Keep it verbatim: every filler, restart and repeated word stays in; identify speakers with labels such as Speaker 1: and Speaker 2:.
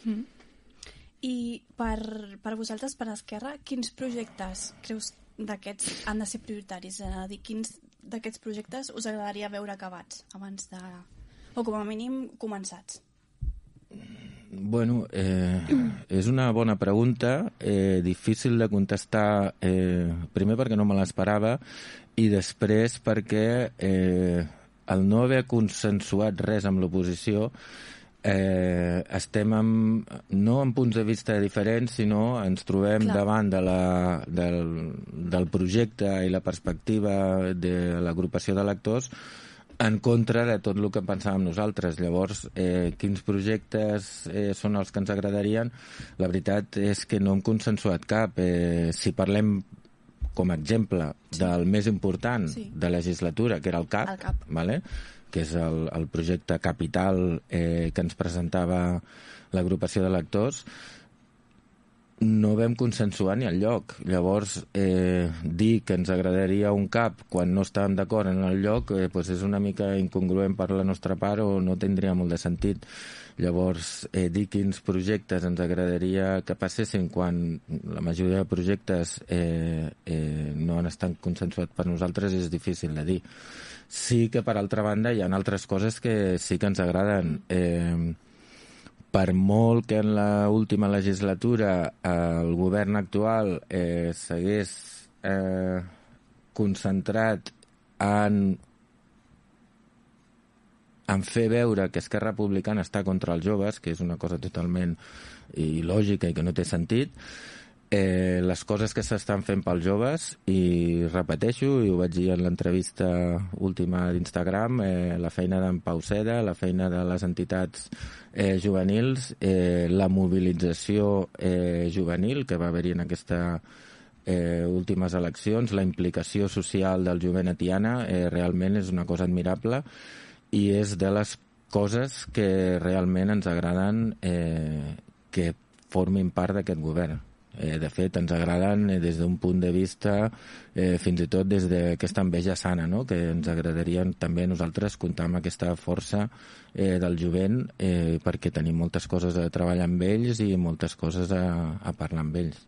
Speaker 1: Mm. I per, per vosaltres, per Esquerra, quins projectes creus d'aquests han de ser prioritaris? És a dir, quins d'aquests projectes us agradaria veure acabats abans de... o com a mínim començats?
Speaker 2: Bueno, eh, és una bona pregunta, eh, difícil de contestar, eh, primer perquè no me l'esperava i després perquè eh, el no haver consensuat res amb l'oposició eh, estem amb, no en punts de vista diferents, sinó ens trobem Clar. davant de la, del, del projecte i la perspectiva de l'agrupació de lectors en contra de tot el que pensàvem nosaltres. Llavors, eh, quins projectes eh, són els que ens agradarien? La veritat és que no hem consensuat cap. Eh, si parlem, com a exemple, sí. del més important sí. de legislatura, que era el CAP,
Speaker 1: el CAP.
Speaker 2: Vale? que és el, el projecte capital eh, que ens presentava l'agrupació de lectors, no vam consensuar ni el lloc. Llavors, eh, dir que ens agradaria un CAP quan no estàvem d'acord en el lloc eh, pues és una mica incongruent per la nostra part o no tindria molt de sentit. Llavors, eh, dir quins projectes ens agradaria que passessin quan la majoria de projectes eh, eh, no han estat consensuats per nosaltres és difícil de dir. Sí que, per altra banda, hi ha altres coses que sí que ens agraden. Eh, per molt que en l'última legislatura el govern actual eh, s'hagués eh, concentrat en, en fer veure que Esquerra Republicana està contra els joves, que és una cosa totalment il·lògica i que no té sentit, eh, les coses que s'estan fent pels joves, i repeteixo, i ho vaig dir en l'entrevista última d'Instagram, eh, la feina d'en Pau Seda, la feina de les entitats eh, juvenils, eh, la mobilització eh, juvenil que va haver-hi en aquesta eh, últimes eleccions, la implicació social del jovent a Tiana, eh, realment és una cosa admirable i és de les coses que realment ens agraden eh, que formin part d'aquest govern. Eh, de fet, ens agraden eh, des d'un punt de vista, eh, fins i tot des d'aquesta enveja sana, no? Que ens agradaria també a nosaltres comptar amb aquesta força eh, del jovent, eh, perquè tenim moltes coses a treballar amb ells i moltes coses a, a parlar amb ells.